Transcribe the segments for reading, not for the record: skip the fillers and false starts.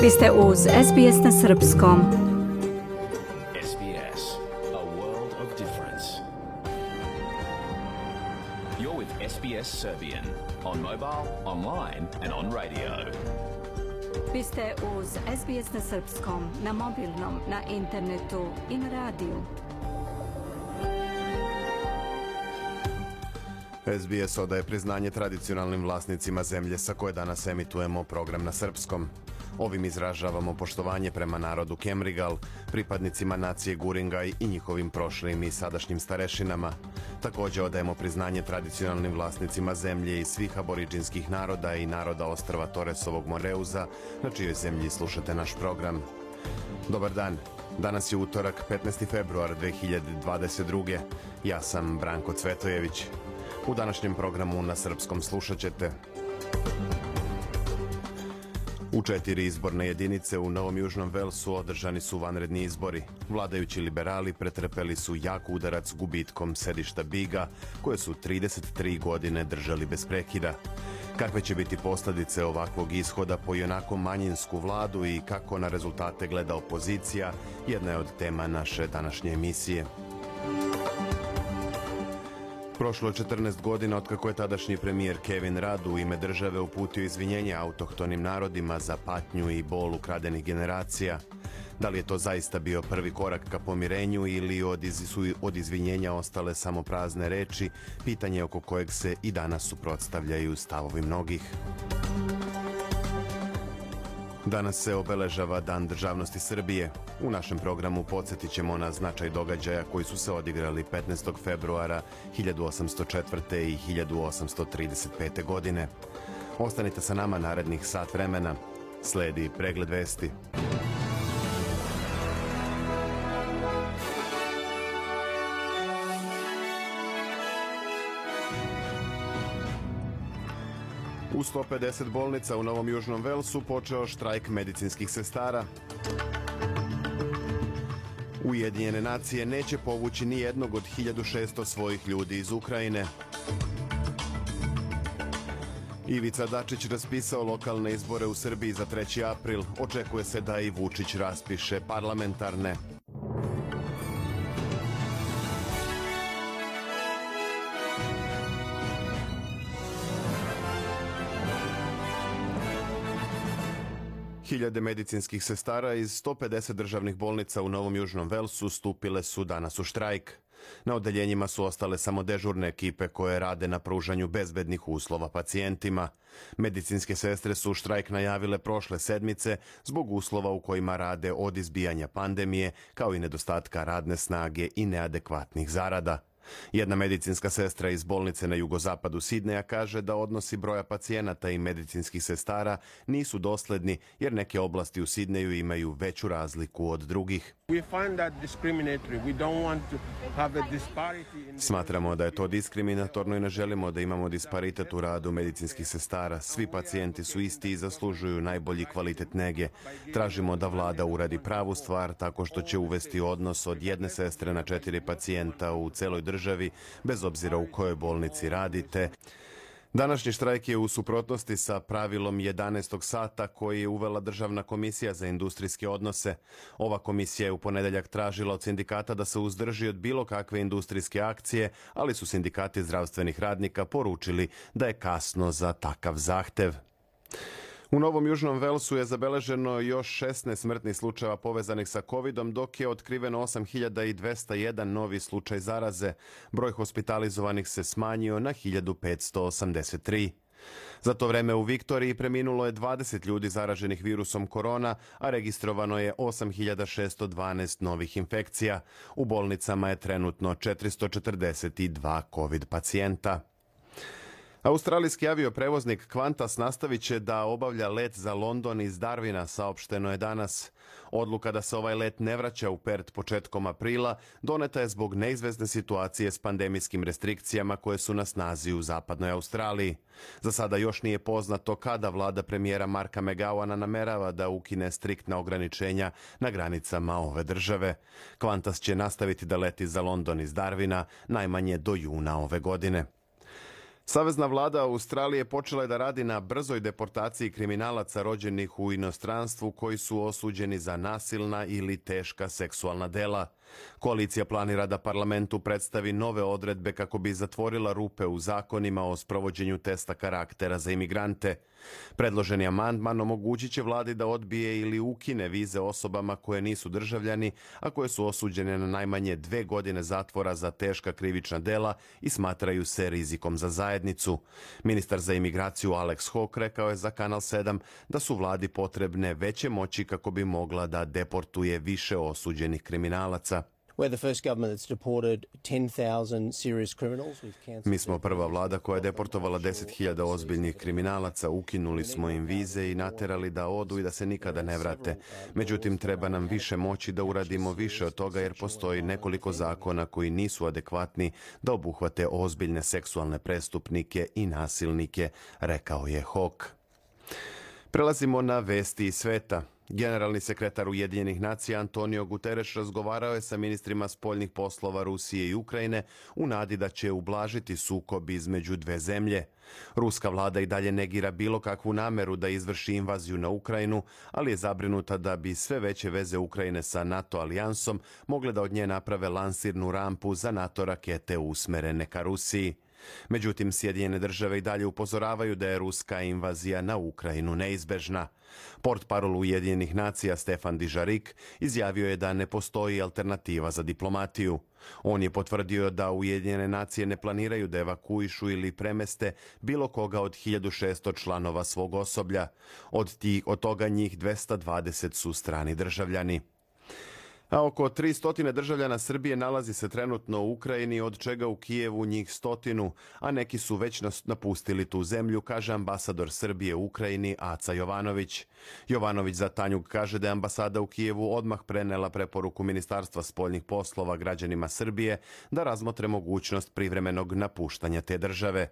Vi ste uz SBS na srpskom. SBS, a world of difference. You're with SBS Serbian on mobile, online and on radio. Vi ste uz SBS na srpskom, na mobilnom, na internetu i na radiju. SBS odaje priznanje tradicionalnim vlasnicima zemlje sa koje danas emitujemo program na srpskom. Ovim izražavamo poštovanje prema narodu Kemrigal, pripadnicima nacije Guringaj i njihovim prošlim i sadašnjim starešinama. Također odajemo priznanje tradicionalnim vlasnicima zemlje i svih aboriđinskih naroda i naroda ostrva Toresovog Moreuza, na čijoj zemlji slušate naš program. Dobar dan. Danas je utorak, 15. februar 2022. Ja sam Branko Cvetojević. U današnjem programu na srpskom slušat ćete: u 4 izborne jedinice u Novom Južnom Velsu održani su vanredni izbori. Vladajući liberali pretrpeli su jak udarac gubitkom sedišta Biga, koje su 33 godine držali bez prekida. Kakve će biti posljedice ovakvog ishoda po ionako manjinsku vladu i kako na rezultate gleda opozicija, jedna je od tema naše današnje emisije. Prošlo je 14 godina otkako je tadašnji premijer Kevin Rudd u ime države uputio izvinjenje autohtonim narodima za patnju i bol ukradenih generacija. Da li je to zaista bio prvi korak ka pomirenju ili su od izvinjenja ostale samo prazne reči, pitanje oko kojeg se i danas suprotstavljaju stavovi mnogih. Danas se obeležava Dan državnosti Srbije. U našem programu podsjetit ćemo na značaj događaja koji su se odigrali 15. februara 1804. i 1835. godine. Ostanite sa nama narednih sat vremena. Sledi pregled vesti. U 150 bolnica u Novom Južnom Velsu počeo štrajk medicinskih sestara. Ujedinjene nacije neće povući ni jednog od 1600 svojih ljudi iz Ukrajine. Ivica Dačić raspisao lokalne izbore u Srbiji za 3. april. Očekuje se da i Vučić raspiše parlamentarne. Hiljade medicinskih sestara iz 150 državnih bolnica u Novom Južnom Velsu stupile su danas u štrajk. Na odeljenjima su ostale samo dežurne ekipe koje rade na pružanju bezbednih uslova pacijentima. Medicinske sestre su štrajk najavile prošle sedmice zbog uslova u kojima rade od izbijanja pandemije, kao i nedostatka radne snage i neadekvatnih zarada. Jedna medicinska sestra iz bolnice na jugozapadu Sidneja kaže da odnosi broja pacijenata i medicinskih sestara nisu dosledni jer neke oblasti u Sidneju imaju veću razliku od drugih. Smatramo da je to diskriminatorno i ne želimo da imamo disparitet u radu medicinskih sestara. Svi pacijenti su isti i zaslužuju najbolji kvalitet nege. Tražimo da vlada uradi pravu stvar tako što će uvesti odnos od 1 sestre na 4 pacijenta u celoj državi, bez obzira u kojoj bolnici radite. Današnji štrajk je u suprotnosti sa pravilom 11. sata koji je uvela Državna komisija za industrijske odnose. Ova komisija je u ponedeljak tražila od sindikata da se uzdrži od bilo kakve industrijske akcije, ali su sindikati zdravstvenih radnika poručili da je kasno za takav zahtev. U Novom Južnom Velsu je zabeleženo još 16 smrtnih slučajeva povezanih sa COVID-om, dok je otkriveno 8201 novi slučaj zaraze. Broj hospitalizovanih se smanjio na 1583. Za to vreme u Viktoriji preminulo je 20 ljudi zaraženih virusom korona, a registrovano je 8612 novih infekcija. U bolnicama je trenutno 442 COVID pacijenta. Australijski avioprevoznik Qantas nastavit će da obavlja let za London iz Darwina, saopšteno je danas. Odluka da se ovaj let ne vraća u Perth početkom aprila doneta je zbog neizvesne situacije s pandemijskim restrikcijama koje su na snazi u zapadnoj Australiji. Za sada još nije poznato kada vlada premijera Marka McGowana namerava da ukine striktna ograničenja na granicama ove države. Qantas će nastaviti da leti za London iz Darwina najmanje do juna ove godine. Savezna vlada Australije počela je da radi na brzoj deportaciji kriminalaca rođenih u inostranstvu koji su osuđeni za nasilna ili teška seksualna dela. Koalicija planira da parlamentu predstavi nove odredbe kako bi zatvorila rupe u zakonima o sprovođenju testa karaktera za imigrante. Predloženi amandman omogućit će vladi da odbije ili ukine vize osobama koje nisu državljani, a koje su osuđene na najmanje 2 godine zatvora za teška krivična dela i smatraju se rizikom za zajednicu. Ministar za imigraciju Alex Hawke rekao je za Kanal 7 da su vladi potrebne veće moći kako bi mogla da deportuje više osuđenih kriminalaca. Mi smo prva vlada koja je deportovala 10.000 ozbiljnih kriminalaca, ukinuli smo im vize i naterali da odu i da se nikada ne vrate. Međutim, treba nam više moći da uradimo više od toga jer postoji nekoliko zakona koji nisu adekvatni da obuhvate ozbiljne seksualne prestupnike i nasilnike, rekao je Hawke. Prelazimo na vesti iz sveta. Generalni sekretar Ujedinjenih nacija Antonio Guterres razgovarao je sa ministrima spoljnih poslova Rusije i Ukrajine u nadi da će ublažiti sukob između dve zemlje. Ruska vlada i dalje negira bilo kakvu nameru da izvrši invaziju na Ukrajinu, ali je zabrinuta da bi sve veće veze Ukrajine sa NATO alijansom mogle da od nje naprave lansirnu rampu za NATO rakete usmerene ka Rusiji. Međutim, Sjedinjene države i dalje upozoravaju da je ruska invazija na Ukrajinu neizbežna. Portparol Ujedinjenih nacija Stefan Dujarric izjavio je da ne postoji alternativa za diplomatiju. On je potvrdio da Ujedinjene nacije ne planiraju da evakuišu ili premeste bilo koga od 1600 članova svog osoblja. Od toga njih 220 su strani državljani. A oko 300 državljana Srbije nalazi se trenutno u Ukrajini, od čega u Kijevu njih 100, a neki su već napustili tu zemlju, kaže ambasador Srbije u Ukrajini Aca Jovanović. Jovanović za Tanjug kaže da je ambasada u Kijevu odmah prenela preporuku Ministarstva spoljnih poslova građanima Srbije da razmotre mogućnost privremenog napuštanja te države.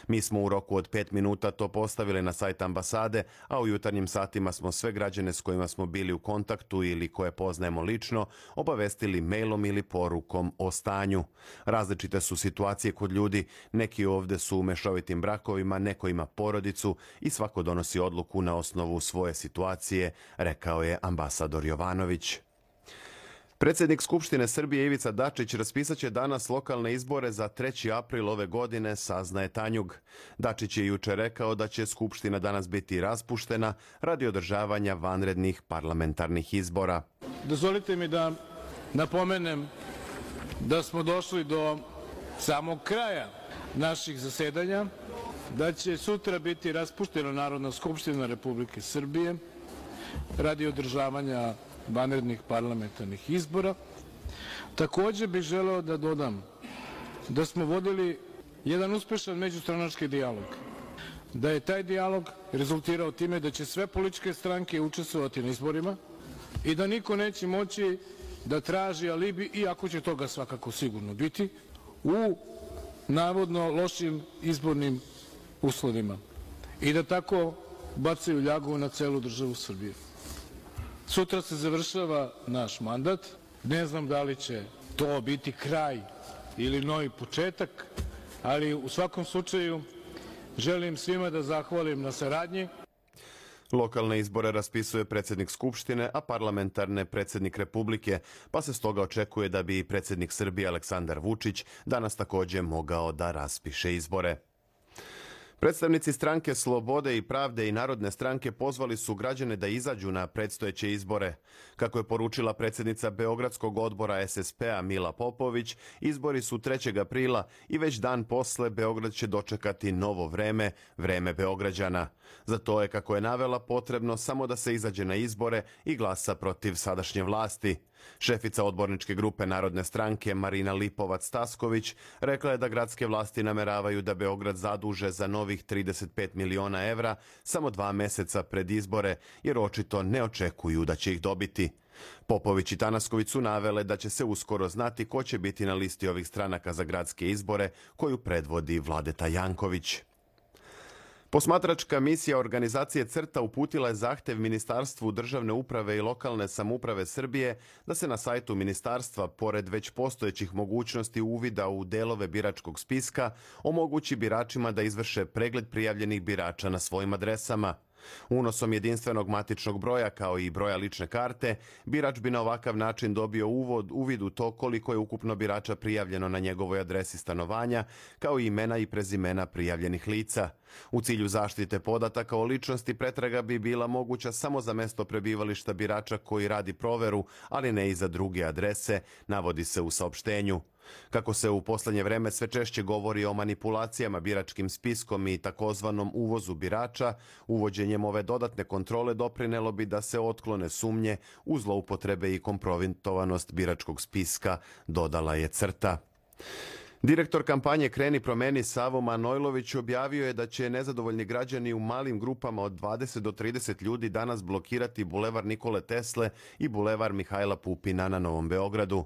Mi smo u roku od 5 minuta to postavili na sajt ambasade, a u jutarnjim satima smo sve građane s kojima smo bili u kontaktu ili koje poznajemo lično obavestili mailom ili porukom o stanju. Različite su situacije kod ljudi, neki ovde su u mešovitim brakovima, neko ima porodicu i svako donosi odluku na osnovu svoje situacije, rekao je ambasador Jovanović. Predsjednik Skupštine Srbije Ivica Dačić raspisaće danas lokalne izbore za 3. april ove godine, saznaje Tanjug. Dačić je juče rekao da će Skupština danas biti raspuštena radi održavanja vanrednih parlamentarnih izbora. Dozvolite mi da napomenem da smo došli do samog kraja naših zasedanja, da će sutra biti raspuštena Narodna skupština Republike Srbije radi održavanja vanrednih parlamentarnih izbora. Takođe bih želeo da dodam da smo vodili jedan uspešan međustranački dijalog, da je taj dijalog rezultirao time da će sve političke stranke učestvovati na izborima i da niko neće moći da traži alibi, iako će toga svakako sigurno biti, u navodno lošim izbornim uslovima i da tako bacaju ljagu na celu državu Srbije. Sutra se završava naš mandat. Ne znam da li će to biti kraj ili novi početak, ali u svakom slučaju želim svima da zahvalim na saradnji. Lokalne izbore raspisuje predsjednik Skupštine, a parlamentarne predsjednik Republike, pa se stoga očekuje da bi predsjednik Srbije Aleksandar Vučić danas također mogao da raspiše izbore. Predstavnici stranke Slobode i pravde i Narodne stranke pozvali su građane da izađu na predstojeće izbore. Kako je poručila predsjednica Beogradskog odbora SSP-a Mila Popović, izbori su 3. aprila i već dan posle Beograd će dočekati novo vreme, vreme Beograđana. Za to je, kako je navela, potrebno samo da se izađe na izbore i glasa protiv sadašnje vlasti. Šefica odborničke grupe Narodne stranke Marina Lipovac-Tasković rekla je da gradske vlasti nameravaju da Beograd zaduže za novih 35 miliona evra samo 2 meseca pred izbore, jer očito ne očekuju da će ih dobiti. Popović i Tanasković su navele da će se uskoro znati ko će biti na listi ovih stranaka za gradske izbore koju predvodi Vladeta Janković. Posmatračka misija organizacije CRTA uputila je zahtev Ministarstvu državne uprave i lokalne samouprave Srbije da se na sajtu ministarstva, pored već postojećih mogućnosti uvida u delove biračkog spiska, omogući biračima da izvrše pregled prijavljenih birača na svojim adresama. Unosom jedinstvenog matičnog broja kao i broja lične karte, birač bi na ovakav način dobio uvid u to koliko je ukupno birača prijavljeno na njegovoj adresi stanovanja, kao i imena i prezimena prijavljenih lica. U cilju zaštite podataka o ličnosti pretraga bi bila moguća samo za mesto prebivališta birača koji radi proveru, ali ne i za druge adrese, navodi se u saopštenju. Kako se u poslednje vreme sve češće govori o manipulacijama biračkim spiskom i takozvanom uvozu birača, uvođenjem ove dodatne kontrole doprinelo bi da se otklone sumnje u zloupotrebe i kompromitovanost biračkog spiska, dodala je CRTA. Direktor kampanje Kreni promeni Savo Manojlović objavio je da će nezadovoljni građani u malim grupama od 20 do 30 ljudi danas blokirati Bulevar Nikole Tesle i Bulevar Mihajla Pupina na Novom Beogradu.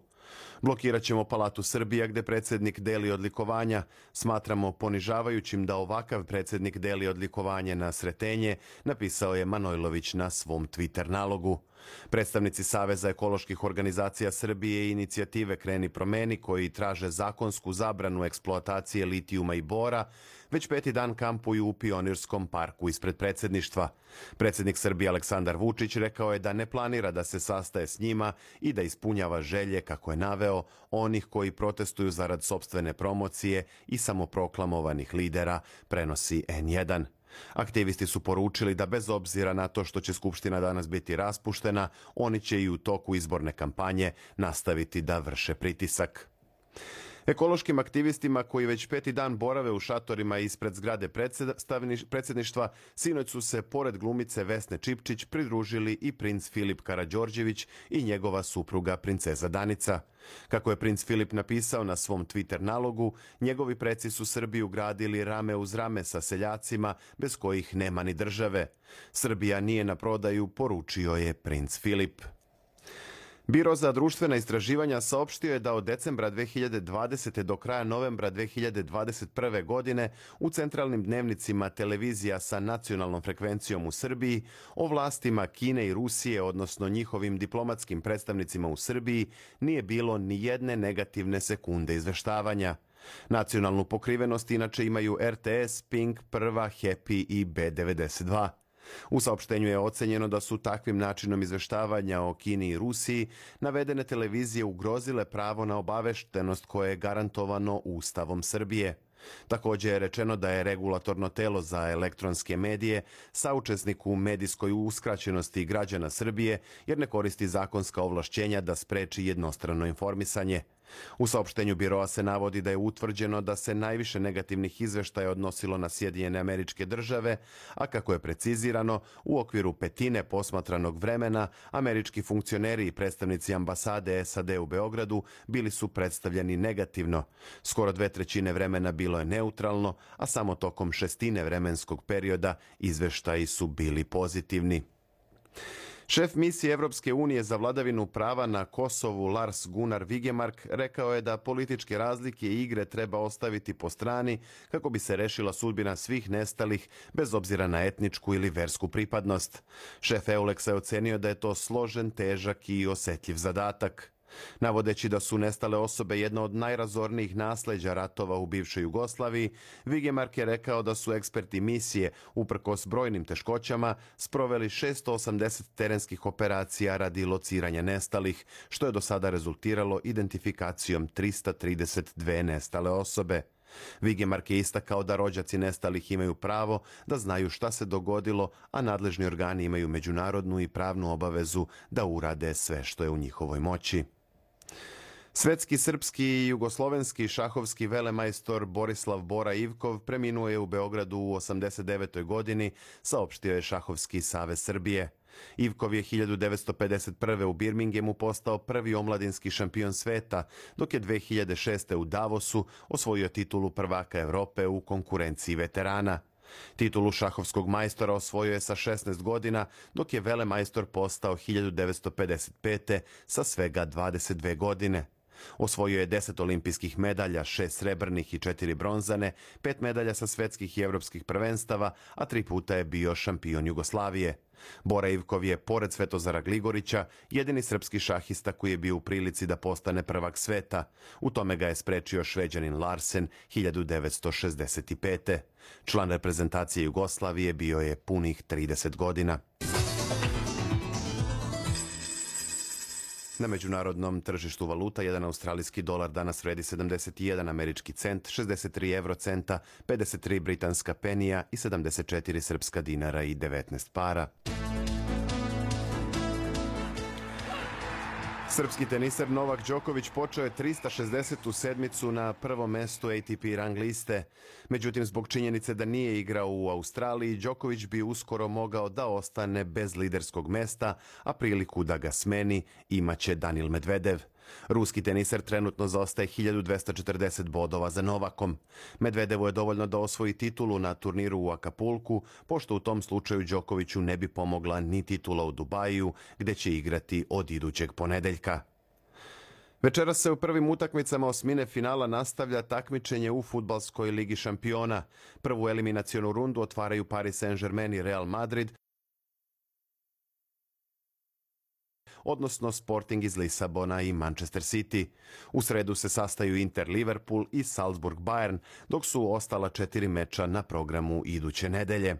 Blokirat ćemo Palatu Srbija gde predsjednik deli odlikovanja. Smatramo ponižavajućim da ovakav predsjednik deli odlikovanje na Sretenje, napisao je Manojlović na svom Twitter nalogu. Predstavnici Saveza ekoloških organizacija Srbije i inicijative Kreni promeni, koji traže zakonsku zabranu eksploatacije litijuma i bora, već 5. dan kampuju u Pionirskom parku ispred predsjedništva. Predsjednik Srbije Aleksandar Vučić rekao je da ne planira da se sastaje s njima i da ispunjava želje, kako je naveo, onih koji protestuju zarad sopstvene promocije i samoproklamovanih lidera, prenosi N1. Aktivisti su poručili da bez obzira na to što će Skupština danas biti raspuštena, oni će i u toku izborne kampanje nastaviti da vrše pritisak. Ekološkim aktivistima koji već 5. dan borave u šatorima ispred zgrade predsjedništva, sinoć su se pored glumice Vesne Čipčić pridružili i princ Filip Karađorđević i njegova supruga princeza Danica. Kako je princ Filip napisao na svom Twitter nalogu, njegovi preci su Srbiju gradili rame uz rame sa seljacima bez kojih nema ni države. Srbija nije na prodaju, poručio je princ Filip. Biro za društvena istraživanja saopštio je da od decembra 2020. do kraja novembra 2021. godine u centralnim dnevnicima televizija sa nacionalnom frekvencijom u Srbiji o vlastima Kine i Rusije, odnosno njihovim diplomatskim predstavnicima u Srbiji, nije bilo ni jedne negativne sekunde izveštavanja. Nacionalnu pokrivenost inače imaju RTS, Pink, Prva, Happy i B92. U saopštenju je ocenjeno da su takvim načinom izveštavanja o Kini i Rusiji navedene televizije ugrozile pravo na obaveštenost koje je garantovano Ustavom Srbije. Također je rečeno da je regulatorno telo za elektronske medije saučesnik u medijskoj uskraćenosti građana Srbije jer ne koristi zakonska ovlašćenja da spreči jednostrano informisanje. U saopštenju biroa se navodi da je utvrđeno da se najviše negativnih izveštaja odnosilo na Sjedinjene Američke Države, a kako je precizirano, u okviru petine posmatranog vremena američki funkcioneri i predstavnici ambasade SAD u Beogradu bili su predstavljeni negativno. Skoro 2/3 vremena bilo je neutralno, a samo tokom 1/6 vremenskog perioda izveštaji su bili pozitivni. Šef misije Evropske unije za vladavinu prava na Kosovu Lars Gunnar Vigemark rekao je da političke razlike i igre treba ostaviti po strani kako bi se rešila sudbina svih nestalih bez obzira na etničku ili versku pripadnost. Šef EULEX-a je ocenio da je to složen, težak i osetljiv zadatak. Navodeći da su nestale osobe jedna od najrazornijih nasleđa ratova u bivšoj Jugoslaviji, Vigemark je rekao da su eksperti misije, uprkos brojnim teškoćama, sproveli 680 terenskih operacija radi lociranja nestalih, što je do sada rezultiralo identifikacijom 332 nestale osobe. Vigemark je istakao da rođaci nestalih imaju pravo da znaju šta se dogodilo, a nadležni organi imaju međunarodnu i pravnu obavezu da urade sve što je u njihovoj moći. Svetski, srpski i jugoslovenski šahovski velemajstor Borislav Bora Ivkov preminuo je u Beogradu u 89. godini, saopštio je Šahovski savez Srbije. Ivkov je 1951. u Birmingemu postao prvi omladinski šampion sveta, dok je 2006. u Davosu osvojio titulu prvaka Evrope u konkurenciji veterana. Titulu šahovskog majstora osvojio je sa 16 godina, dok je velemajstor postao 1955. sa svega 22 godine. Osvojio je 10 olimpijskih medalja, 6 srebrnih i 4 bronzane, 5 medalja sa svetskih i evropskih prvenstava, a 3 puta je bio šampion Jugoslavije. Bora Ivkov je, pored Svetozara Gligorića, jedini srpski šahista koji je bio u prilici da postane prvak sveta. U tome ga je sprečio Šveđanin Larsen 1965. Član reprezentacije Jugoslavije bio je punih 30 godina. Na međunarodnom tržištu valuta jedan australijski dolar danas vredi 71 američki cent, 63 eurocenta, 53 britanska penija i 74 srpska dinara i 19 para. Srpski teniser Novak Đoković počeo je 360. sedmicu na prvom mestu ATP rang liste. Međutim, zbog činjenice da nije igrao u Australiji, Đoković bi uskoro mogao da ostane bez liderskog mesta, a priliku da ga smeni imaće Danil Medvedev. Ruski teniser trenutno zaostaje 1240 bodova za Novakom. Medvedevu je dovoljno da osvoji titulu na turniru u Akapulku, pošto u tom slučaju Đokoviću ne bi pomogla ni titula u Dubaju, gde će igrati od idućeg ponedeljka. Večeras se u prvim utakmicama osmine finala nastavlja takmičenje u Fudbalskoj ligi šampiona. Prvu eliminacionu rundu otvaraju Paris Saint-Germain i Real Madrid, odnosno Sporting iz Lisabona i Manchester City. U sredu se sastaju Inter Liverpool i Salzburg Bayern, dok su ostala 4 meča na programu iduće nedelje.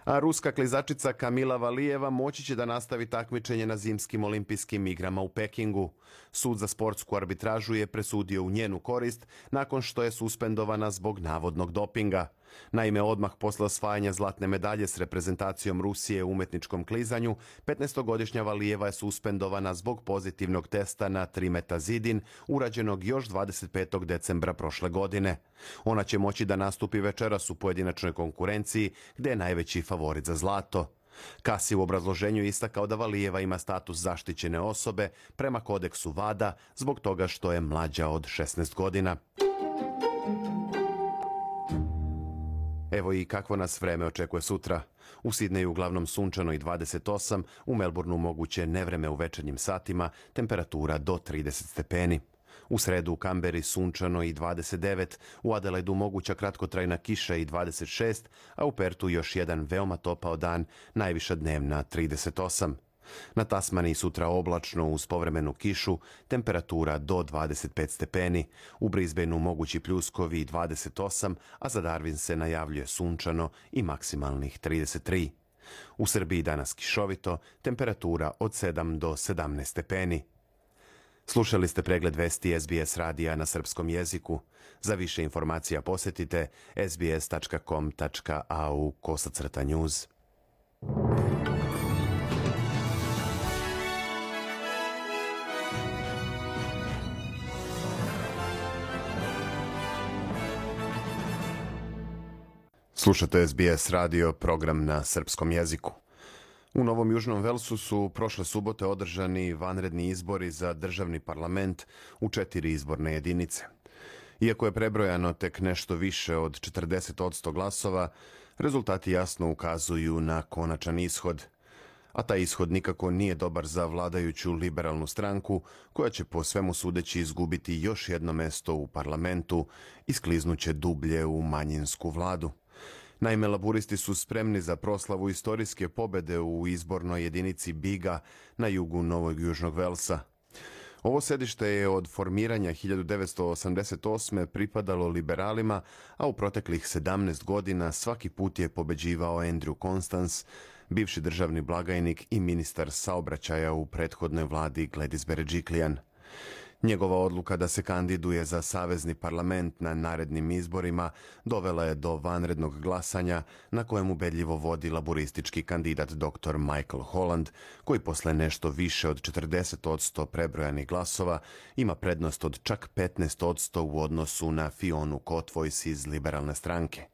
A ruska klizačica Kamila Valijeva moći će da nastavi takmičenje na zimskim olimpijskim igrama u Pekingu. Sud za sportsku arbitražu je presudio u njenu korist nakon što je suspendovana zbog navodnog dopinga. Naime, odmah posle osvajanja zlatne medalje s reprezentacijom Rusije u umetničkom klizanju, 15-godišnja Valijeva je suspendovana zbog pozitivnog testa na trimetazidin, urađenog još 25. decembra prošle godine. Ona će moći da nastupi večeras u pojedinačnoj konkurenciji, gde je najveći favorit za zlato. Kasi u obrazloženju istakao da Valijeva ima status zaštićene osobe prema kodeksu WADA zbog toga što je mlađa od 16 godina. Evo i kakvo nas vreme očekuje sutra. U Sidneju uglavnom sunčano i 28, u Melbourneu moguće nevreme u večernjim satima, temperatura do 30 stepeni. U sredu u Kamberi sunčano i 29, u Adelaidu moguća kratkotrajna kiša i 26, a u Pertu još jedan veoma topao dan, najviša dnevna 38. Na Tasmaniji sutra oblačno uz povremenu kišu, temperatura do 25 stepeni. U Brisbaneu mogući pljuskovi 28, a za Darwin se najavljuje sunčano i maksimalnih 33. U Srbiji danas kišovito, temperatura od 7 do 17 stepeni. Slušali ste pregled vesti SBS radija na srpskom jeziku. Za više informacija posetite sbs.com.au/news. Slušate SBS radio, program na srpskom jeziku. U Novom Južnom Velsu su prošle subote održani vanredni izbori za državni parlament u 4 izborne jedinice. Iako je prebrojano tek nešto više od 40% glasova, rezultati jasno ukazuju na konačan ishod. A taj ishod nikako nije dobar za vladajuću liberalnu stranku, koja će po svemu sudeći izgubiti još jedno mesto u parlamentu i skliznuće dublje u manjinsku vladu. Naime, laburisti su spremni za proslavu istorijske pobede u izbornoj jedinici Biga na jugu Novog Južnog Velsa. Ovo sedište je od formiranja 1988. pripadalo liberalima, a u proteklih 17 godina svaki put je pobeđivao Andrew Constance, bivši državni blagajnik i ministar saobraćaja u prethodnoj vladi Gladys Berejiklian. Njegova odluka da se kandiduje za savezni parlament na narednim izborima dovela je do vanrednog glasanja na kojem ubedljivo vodi laburistički kandidat dr. Michael Holland, koji posle nešto više od 40% prebrojanih glasova ima prednost od čak 15% u odnosu na Fionu Kotvojs iz liberalne stranke.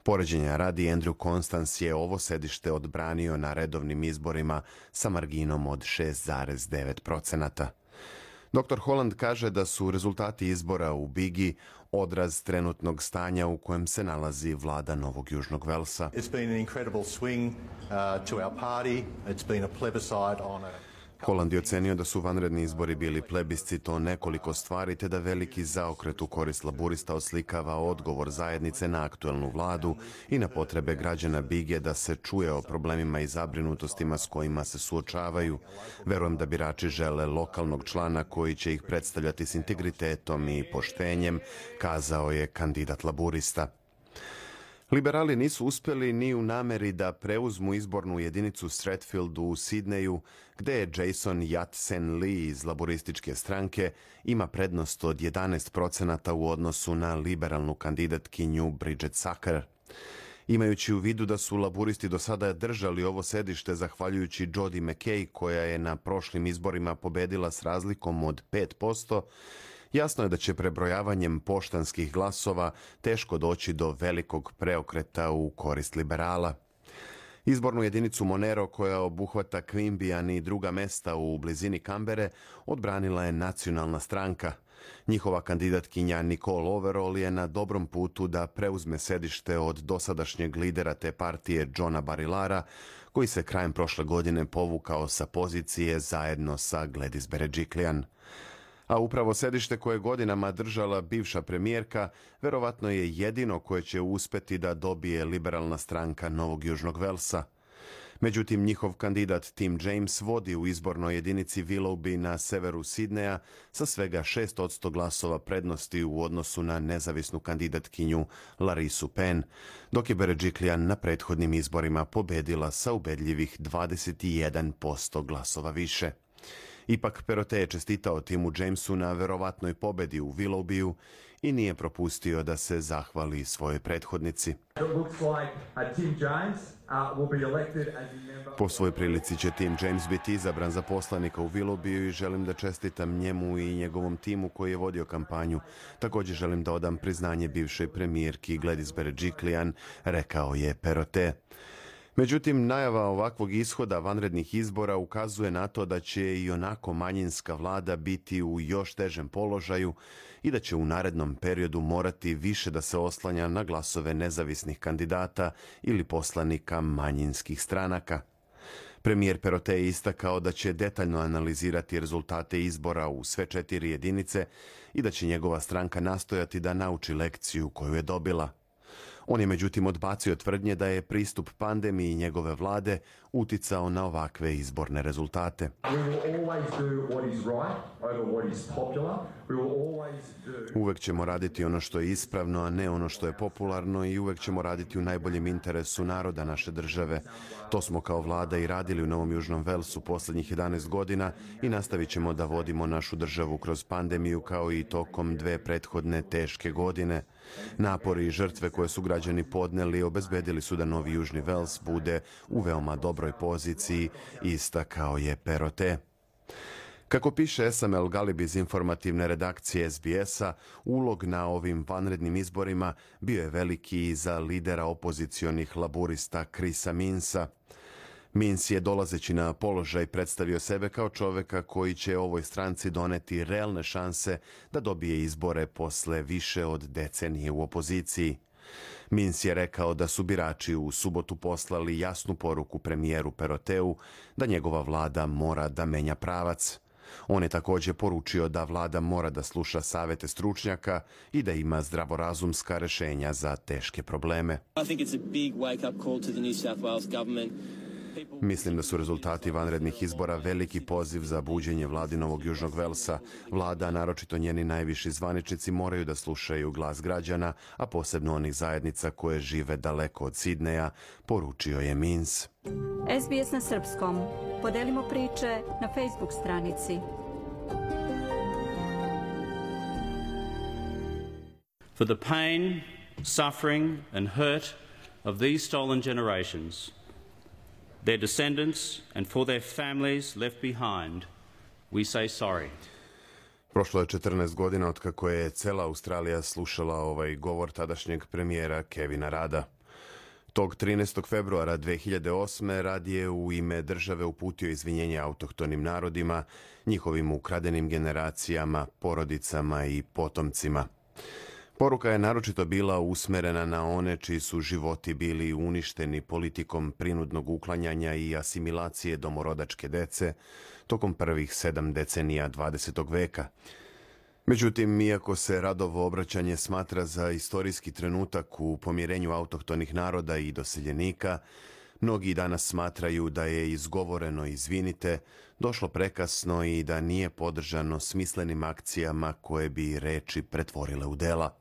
Poređenja radi, Andrew Constance je ovo sedište odbranio na redovnim izborima sa marginom od 6,9%. Dr. Holland kaže da su rezultati izbora u Bigi odraz trenutnog stanja u kojem se nalazi vlada Novog Južnog Velsa. Holland je ocenio da su vanredni izbori bili plebiscit o nekoliko stvari, te da veliki zaokret u korist laburista oslikava odgovor zajednice na aktuelnu vladu i na potrebe građana Bige da se čuje o problemima i zabrinutostima s kojima se suočavaju. Verujem da birači žele lokalnog člana koji će ih predstavljati s integritetom i poštenjem, kazao je kandidat laburista. Liberali nisu uspjeli ni u nameri da preuzmu izbornu jedinicu Stratfield u Sidneju, gde je Jason Yat-sen-Lee iz laborističke stranke ima prednost od 11% u odnosu na liberalnu kandidatkinju Bridget Sacker. Imajući u vidu da su laburisti do sada držali ovo sedište zahvaljujući Jodi McKay, koja je na prošlim izborima pobedila s razlikom od 5%, jasno je da će prebrojavanjem poštanskih glasova teško doći do velikog preokreta u korist liberala. Izbornu jedinicu Monero, koja obuhvata Queanbeyan i druga mesta u blizini Kambere, odbranila je nacionalna stranka. Njihova kandidatkinja Nicole Overall je na dobrom putu da preuzme sedište od dosadašnjeg lidera te partije Johna Barilara, koji se krajem prošle godine povukao sa pozicije zajedno sa Gladys Berejiklian. A upravo sedište koje godinama držala bivša premijerka verovatno je jedino koje će uspeti da dobije liberalna stranka Novog Južnog Velsa. Međutim, njihov kandidat Tim James vodi u izbornoj jedinici Willoughby na severu Sidneja sa svega 6% glasova prednosti u odnosu na nezavisnu kandidatkinju Larisu Penn, dok je Berejiklian na prethodnim izborima pobedila sa ubedljivih 21% glasova više. Ipak Perottet je čestitao Timu Jamesu na verovatnoj pobedi u Willoughbyu i nije propustio da se zahvali svojoj prethodnici. Po svojoj prilici će Tim James biti izabran za poslanika u Willoughbyu i želim da čestitam njemu i njegovom timu koji je vodio kampanju. Također želim da odam priznanje bivšoj premijerki Gladys Berejiklian, rekao je Perottet. Međutim, najava ovakvog ishoda vanrednih izbora ukazuje na to da će i onako manjinska vlada biti u još težem položaju i da će u narednom periodu morati više da se oslanja na glasove nezavisnih kandidata ili poslanika manjinskih stranaka. Premijer Perottet je istakao da će detaljno analizirati rezultate izbora u sve 4 jedinice i da će njegova stranka nastojati da nauči lekciju koju je dobila. On je međutim odbacio tvrdnje da je pristup pandemiji njegove vlade uticao na ovakve izborne rezultate. Uvek ćemo raditi ono što je ispravno, a ne ono što je popularno, i uvek ćemo raditi u najboljem interesu naroda naše države. To smo kao vlada i radili u Novom Južnom Velsu posljednjih 11 godina i nastavit ćemo da vodimo našu državu kroz pandemiju kao i tokom 2 prethodne teške godine. Napori i žrtve koje su građani podneli obezbedili su da Novi Južni Vels bude u veoma dobroj poziciji, istakao je Perottet. Kako piše Esam Galib iz informativne redakcije SBS-a, ulog na ovim vanrednim izborima bio je veliki i za lidera opozicionih laburista Chrisa Minsa. Minns je, dolazeći na položaj, predstavio sebe kao čoveka koji će ovoj stranci doneti realne šanse da dobije izbore posle više od decenije u opoziciji. Minns je rekao da su birači u subotu poslali jasnu poruku premijeru Perottetu da njegova vlada mora da menja pravac. On je također poručio da vlada mora da sluša savete stručnjaka i da ima zdravorazumska rešenja za teške probleme. Mislim da su rezultati vanrednih izbora veliki poziv za buđenje vladi Novog Južnog Velsa. Vlada, naročito njeni najviši zvaničnici, moraju da slušaju glas građana, a posebno onih zajednica koje žive daleko od Sidneja, poručio je Minns. SBS na srpskom. Podelimo priče na Facebook stranici. For the pain, suffering and hurt of these stolen generations, their descendants and for their families left behind, we say sorry. Prošlo je 14 godina od kako je cela Australija slušala ovaj govor tadašnjeg premijera Kevina Radda. Tog 13. februara 2008. Rad je u ime države uputio izvinjenje autohtonim narodima, njihovim ukradenim generacijama, porodicama i potomcima. Poruka je naročito bila usmerena na one čiji su životi bili uništeni politikom prinudnog uklanjanja i asimilacije domorodačke dece tokom prvih 7 decenija 20. veka. Međutim, iako se Radovo obraćanje smatra za istorijski trenutak u pomirenju autohtonih naroda i doseljenika, mnogi danas smatraju da je izgovoreno izvinite došlo prekasno i da nije podržano smislenim akcijama koje bi reči pretvorile u dela.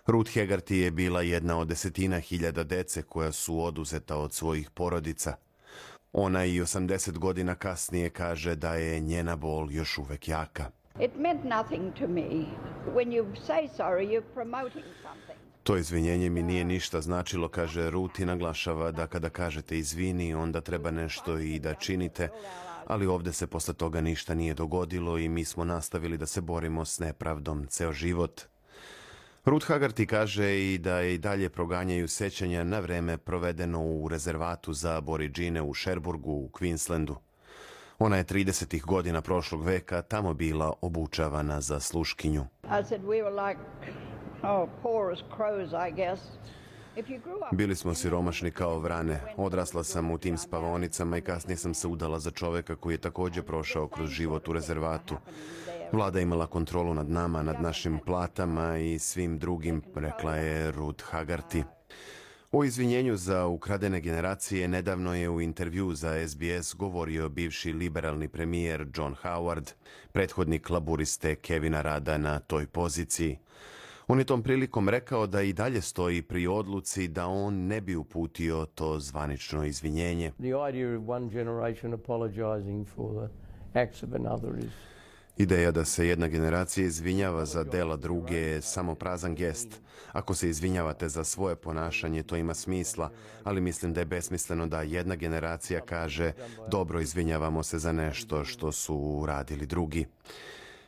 Ruth Hegarty je bila jedna od desetina hiljada dece koja su oduzeta od svojih porodica. Ona i 80 godina kasnije kaže da je njena bol još uvek jaka. It meant nothing to me. When you say sorry, you're promoting something. To izvinjenje mi nije ništa značilo, kaže Ruth i naglašava da kada kažete izvini, onda treba nešto i da činite, ali ovdje se posle toga ništa nije dogodilo i mi smo nastavili da se borimo s nepravdom ceo život. Ruth Hegarty kaže i da je i dalje proganjaju sećanja na vreme provedeno u rezervatu za Aboridžine u Sherburgu u Queenslandu. Ona je 30. godina prošlog veka tamo bila obučavana za sluškinju. Bili smo siromašni kao vrane. Odrasla sam u tim spavaonicama i kasnije sam se udala za čoveka koji je također prošao kroz život u rezervatu. Vlada je imala kontrolu nad nama, nad našim platama i svim drugim, rekla je Ruth Hegarty. O izvinjenju za ukradene generacije nedavno je u intervju za SBS govorio bivši liberalni premijer John Howard, prethodnik laburiste Kevina Radda na toj poziciji. On je tom prilikom rekao da i dalje stoji pri odluci da on ne bi uputio to zvanično izvinjenje. Ideja da se jedna generacija izvinjava za dela druge je samo prazan gest. Ako se izvinjavate za svoje ponašanje, to ima smisla, ali mislim da je besmisleno da jedna generacija kaže dobro, izvinjavamo se za nešto što su uradili drugi.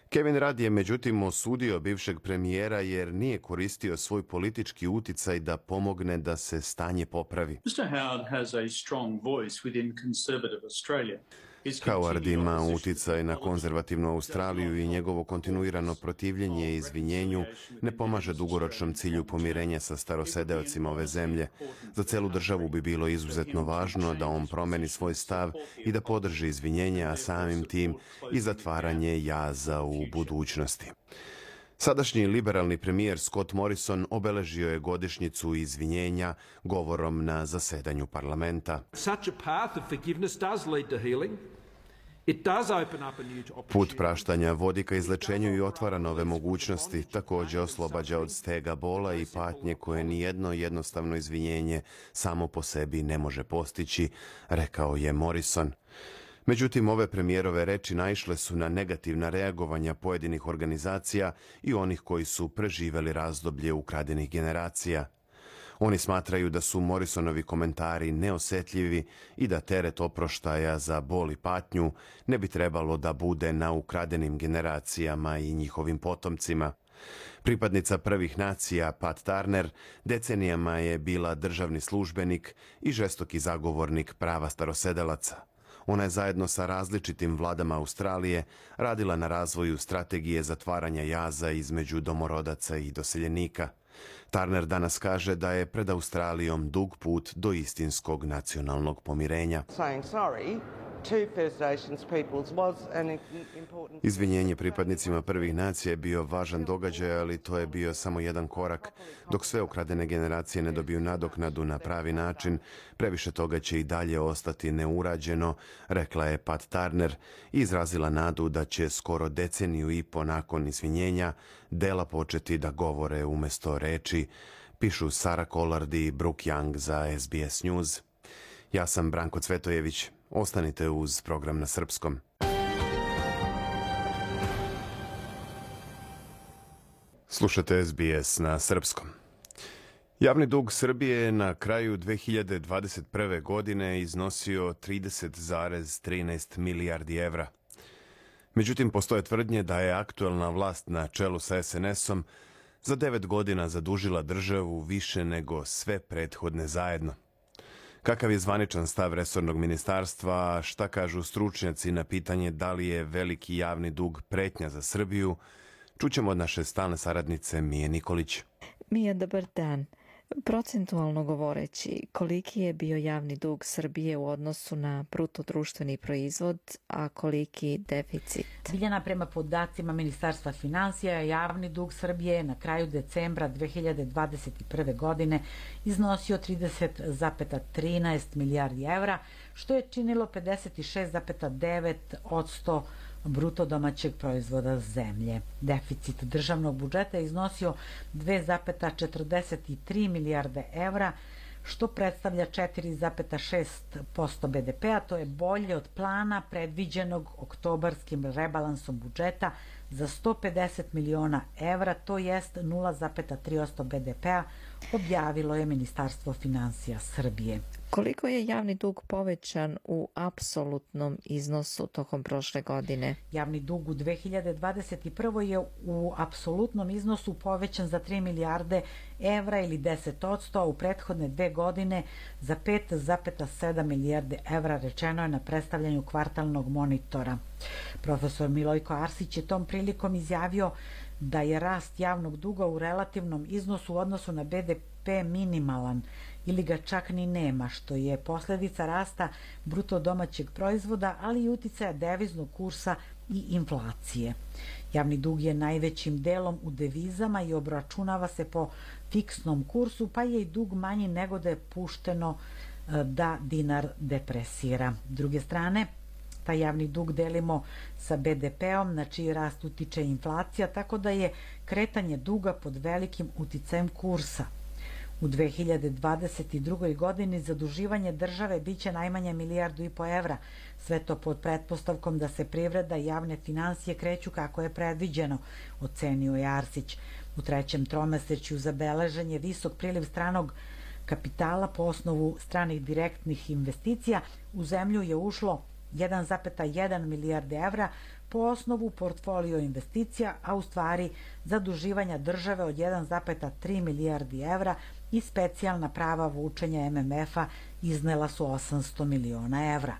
Kevin Rudd je međutim osudio bivšeg premijera jer nije koristio svoj politički uticaj da pomogne da se stanje popravi. Howard ima uticaj na konzervativnu Australiju i njegovo kontinuirano protivljenje izvinjenju ne pomaže dugoročnom cilju pomirenja sa starosedeocima ove zemlje. Za celu državu bi bilo izuzetno važno da on promeni svoj stav i da podrži izvinjenje, a samim tim i zatvaranje jaza u budućnosti. Sadašnji liberalni premijer Scott Morrison obeležio je godišnjicu izvinjenja govorom na zasedanju parlamenta. Put praštanja vodi ka izlečenju i otvara nove mogućnosti, također oslobađa od stega bola i patnje koje nijedno jednostavno izvinjenje samo po sebi ne može postići, rekao je Morrison. Međutim, ove premijerove reči naišle su na negativna reagovanja pojedinih organizacija i onih koji su preživeli razdoblje ukradenih generacija. Oni smatraju da su Morrisonovi komentari neosjetljivi i da teret oproštaja za bol i patnju ne bi trebalo da bude na ukradenim generacijama i njihovim potomcima. Pripadnica prvih nacija Pat Turner decenijama je bila državni službenik i žestoki zagovornik prava starosedelaca. Ona je zajedno sa različitim vladama Australije radila na razvoju strategije zatvaranja jaza između domorodaca i doseljenika. Turner danas kaže da je pred Australijom dug put do istinskog nacionalnog pomirenja. Izvinjenje pripadnicima prvih nacija je bio važan događaj, ali to je bio samo jedan korak. Dok sve ukradene generacije ne dobiju nadoknadu na pravi način, previše toga će i dalje ostati neurađeno, rekla je Pat Turner i izrazila nadu da će skoro deceniju i po nakon izvinjenja dela početi da govore umjesto reči, pišu Sara Collard i Brooke Young za SBS News. Ja sam Branko Cvetojević. Ostanite uz program na srpskom. Slušate SBS na srpskom. Javni dug Srbije je na kraju 2021. godine iznosio 30,13 milijardi evra. Međutim, postoje tvrdnje da je aktuelna vlast na čelu sa SNS-om za 9 godina zadužila državu više nego sve prethodne zajedno. Kakav je zvaničan stav resornog ministarstva, šta kažu stručnjaci na pitanje da li je veliki javni dug pretnja za Srbiju, Čućemo od naše stalne saradnice Mije Nikolić. Mija, dobar dan. Procentualno govoreći, koliki je bio javni dug Srbije u odnosu na bruto društveni proizvod, a koliki deficit? Biljana, prema podacima Ministarstva finansija, javni dug Srbije na kraju decembra 2021. godine iznosio 30,13 milijardi evra, što je činilo 56,9% bruto domaćeg proizvoda zemlje. Deficit državnog budžeta je iznosio 2,43 milijarde evra, što predstavlja 4,6% BDP-a. To je bolje od plana predviđenog oktobarskim rebalansom budžeta za 150 miliona evra, to jest 0,3% BDP-a, objavilo je Ministarstvo finansija Srbije. Koliko je javni dug povećan u apsolutnom iznosu tokom prošle godine? Javni dug u 2021. je u apsolutnom iznosu povećan za 3 milijarde evra ili 10%, a u prethodne 2 godine za 5,7 milijarde evra, rečeno je na predstavljanju kvartalnog monitora. Profesor Milojko Arsić je tom prilikom izjavio da je rast javnog duga u relativnom iznosu u odnosu na BDP minimalan ili ga čak ni nema, što je posledica rasta bruto domaćeg proizvoda, ali i uticaja deviznog kursa i inflacije. Javni dug je najvećim delom u devizama i obračunava se po fiksnom kursu, pa je i dug manji nego da je pušteno da dinar depresira. S druge strane, taj javni dug delimo sa BDP-om, na čiji rast utiče inflacija, tako da je kretanje duga pod velikim uticajem kursa. U 2022. godini zaduživanje države biće najmanje 1,5 milijardu evra, sve to pod pretpostavkom da se privreda i javne finansije kreću kako je predviđeno, ocenio je Arsić. U trećem tromesečju zabeležen je visok priliv stranog kapitala po osnovu stranih direktnih investicija. U zemlju je ušlo 1,1 milijarde evra po osnovu portfolio investicija, a u stvari zaduživanja države od 1,3 milijardi evra i specijalna prava vučenja MMF-a iznela su 800 miliona evra.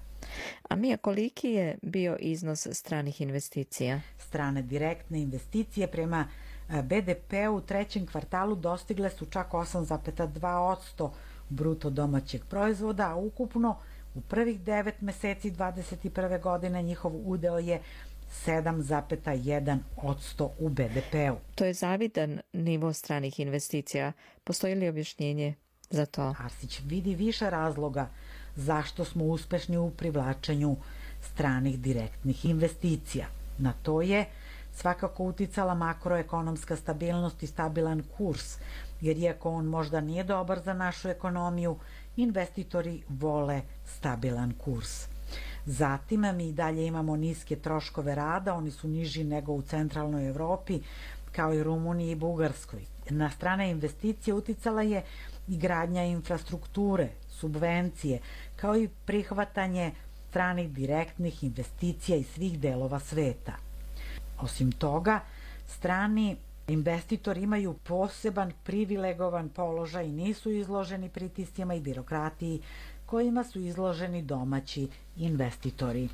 A Mija, koliki je bio iznos stranih investicija? Strane direktne investicije prema BDP-u u trećem kvartalu dostigle su čak 8,2% bruto domaćeg proizvoda, a ukupno u prvih 9 meseci 2021. godine njihov udeo je 7,1% u BDP-u. To je zavidan nivo stranih investicija. Postoji li objašnjenje za to? Arsić vidi više razloga zašto smo uspešni u privlačenju stranih direktnih investicija. Na to je svakako uticala makroekonomska stabilnost i stabilan kurs, jer iako on možda nije dobar za našu ekonomiju, investitori vole stabilan kurs. Zatim mi i dalje imamo niske troškove rada, oni su niži nego u centralnoj Evropi, kao i Rumuniji i Bugarskoj. Na strane investicije uticala je i gradnja infrastrukture, subvencije, kao i prihvatanje stranih direktnih investicija iz svih delova sveta. Osim toga, strani investitori imaju poseban privilegovan položaj i nisu izloženi pritiscima i birokratiji kojima su izloženi domaći investitori.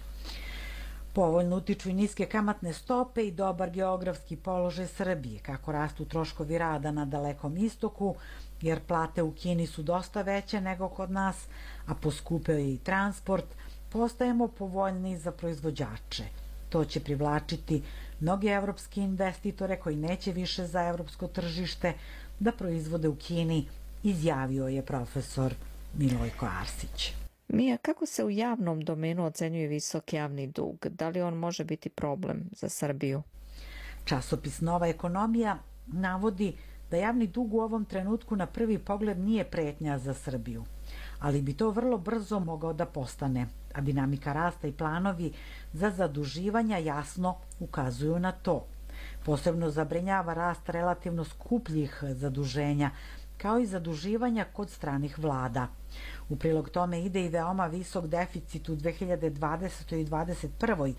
Povoljno utiču i niske kamatne stope i dobar geografski položaj Srbije, kako rastu troškovi rada na Dalekom istoku, jer plate u Kini su dosta veće nego kod nas, a poskupeo je i transport, postajemo povoljniji za proizvođače. To će privlačiti mnoge evropske investitore koji neće više za evropsko tržište da proizvode u Kini, izjavio je profesor Milojko Arsić. Mija, kako se u javnom domenu ocenjuje visok javni dug? Da li on može biti problem za Srbiju? Časopis Nova ekonomija navodi da javni dug u ovom trenutku na prvi pogled nije pretnja za Srbiju, ali bi to vrlo brzo mogao da postane, a dinamika rasta i planovi za zaduživanja jasno ukazuju na to. Posebno zabrinjava rast relativno skupljih zaduženja, kao i zaduživanja kod stranih vlada. U prilog tome ide i veoma visok deficit u 2020. i 2021.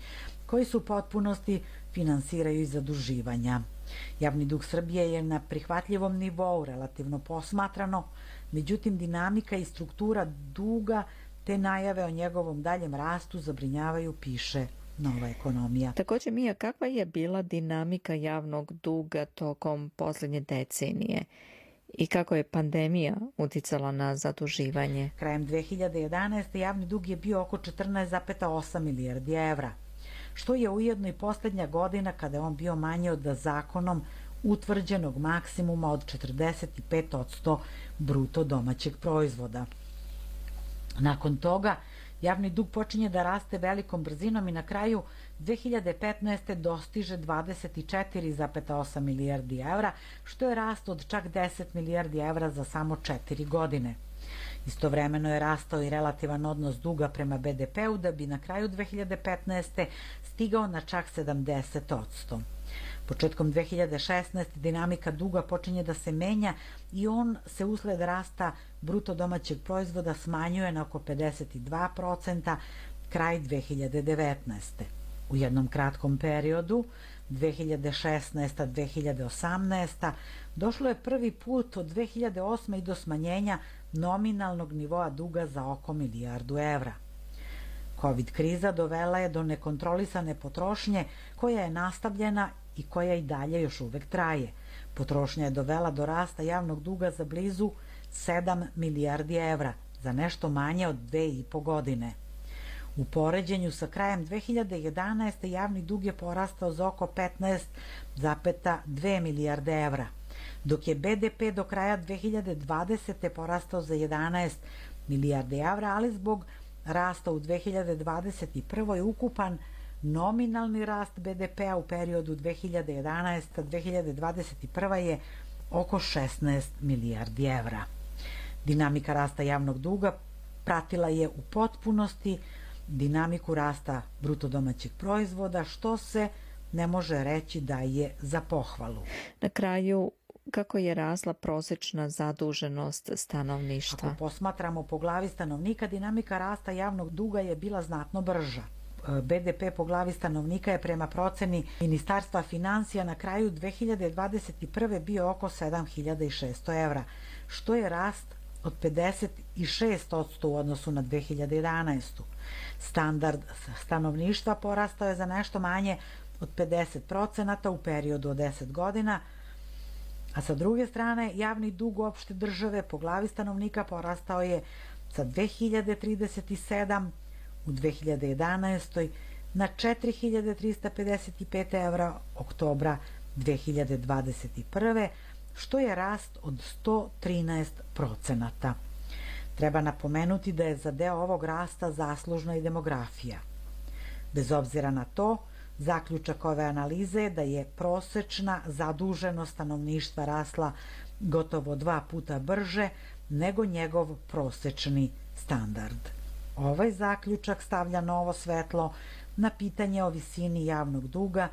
koji su u potpunosti finansiraju iz zaduživanja. Javni dug Srbije je na prihvatljivom nivou, relativno posmatrano, međutim dinamika i struktura duga te najave o njegovom daljem rastu zabrinjavaju, piše nova ekonomija. Također, Mija, kakva je bila dinamika javnog duga tokom posljednje decenije i kako je pandemija uticala na zaduživanje? Krajem 2011. javni dug je bio oko 14,8 milijardi evra, što je ujedno i posljednja godina kada je on bio manji od zakonom utvrđenog maksimuma od 45% bruto domaćeg proizvoda. Nakon toga, javni dug počinje da raste velikom brzinom i na kraju 2015. dostiže 24,8 milijardi evra, što je rast od čak 10 milijardi evra za samo 4 godine. Istovremeno je rastao i relativan odnos duga prema BDP-u da bi na kraju 2015. stigao na čak 70%. Početkom 2016. dinamika duga počinje da se menja i on se usled rasta bruto domaćeg proizvoda smanjuje na oko 52%, kraj 2019. U jednom kratkom periodu, 2016-2018, došlo je prvi put od 2008. i do smanjenja nominalnog nivoa duga za oko milijardu evra. Covid kriza dovela je do nekontrolisane potrošnje koja je nastavljena i koja i dalje još uvek traje. Potrošnja je dovela do rasta javnog duga za blizu 7 milijardi evra, za nešto manje od 2,5 godine. U poređenju sa krajem 2011. javni dug je porastao za oko 15,2 milijarde evra, dok je BDP do kraja 2020. porastao za 11 milijarde evra, ali zbog rasta u 2021. ukupan nominalni rast BDP-a u periodu 2011-2021. je oko 16 milijardi evra. Dinamika rasta javnog duga pratila je u potpunosti dinamiku rasta bruto domaćeg proizvoda, što se ne može reći da je za pohvalu. Na kraju, kako je rasla prosječna zaduženost stanovništva? Ako posmatramo po glavi stanovnika, dinamika rasta javnog duga je bila znatno brža. BDP po glavi stanovnika je prema proceni Ministarstva financija na kraju 2021. bio oko 7.600 evra, što je rast od 56% u odnosu na 2011. Standard stanovništva porastao je za nešto manje od 50% u periodu od 10 godina, a sa druge strane javni dug opšte države po glavi stanovnika porastao je sa 2037 u 2011. na 4.355 evra oktobra 2021. što je rast od 113%. Treba napomenuti da je za deo ovog rasta zaslužna i demografija. Bez obzira na to, zaključak ove analize je da je prosečna zaduženost stanovništva rasla gotovo 2 puta brže nego njegov prosečni standard. Ovaj zaključak stavlja novo svetlo na pitanje o visini javnog duga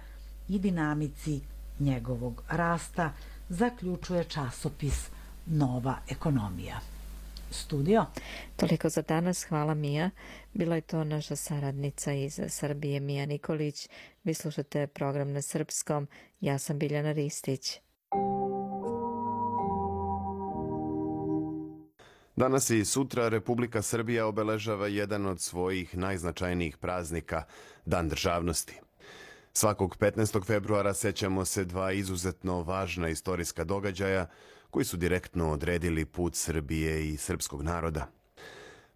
i dinamici njegovog rasta, zaključuje časopis Nova ekonomija. Studio. Toliko za danas, hvala Mija. Bila je to naša saradnica iz Srbije, Mija Nikolić. Vi slušate program na srpskom. Ja sam Biljana Ristić. Danas i sutra Republika Srbija obeležava jedan od svojih najznačajnijih praznika, Dan državnosti. Svakog 15. februara sećamo se dva izuzetno važna istorijska događaja koji su direktno odredili put Srbije i srpskog naroda.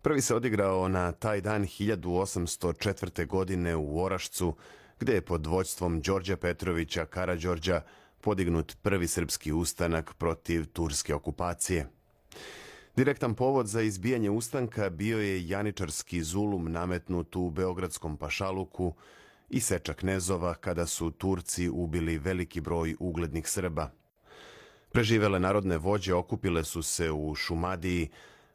Prvi se odigrao na taj dan 1804. godine u Orašcu, gde je pod vođstvom Đorđa Petrovića Karađorđa podignut prvi srpski ustanak protiv turske okupacije. Direktan povod za izbijanje ustanka bio je janičarski zulum nametnut u beogradskom pašaluku i seča knezova kada su Turci ubili veliki broj uglednih Srba. Preživele narodne vođe okupile su se u Šumadiji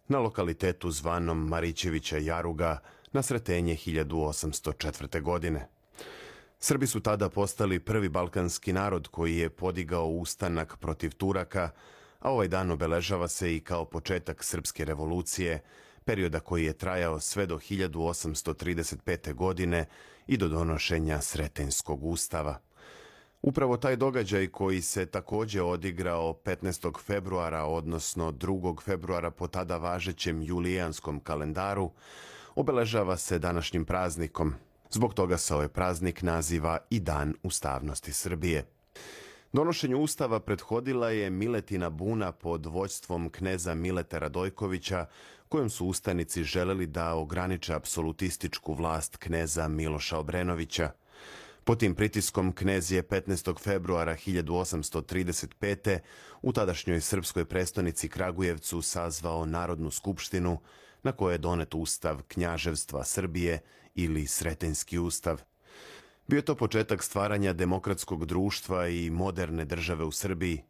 na lokalitetu zvanom Marićevića Jaruga na Sretenje 1804. godine. Srbi su tada postali prvi balkanski narod koji je podigao ustanak protiv Turaka, a ovaj dan obeležava se i kao početak srpske revolucije, perioda koji je trajao sve do 1835. godine i do donošenja Sretenjskog ustava. Upravo taj događaj koji se takođe odigrao 15. februara, odnosno 2. februara po tada važećem julijanskom kalendaru, obeležava se današnjim praznikom. Zbog toga se ovaj praznik naziva i Dan ustavnosti Srbije. Donošenju ustava prethodila je Miletina buna pod vođstvom kneza Mileta Radojkovića, kojom su ustanici želeli da ograniče apsolutističku vlast kneza Miloša Obrenovića. Pod tim pritiskom knez je 15. februara 1835. u tadašnjoj srpskoj prestonici Kragujevcu sazvao Narodnu skupštinu, na kojoj je donet ustav Knjaževstva Srbije ili Sretenjski ustav. Bio je to početak stvaranja demokratskog društva i moderne države u Srbiji.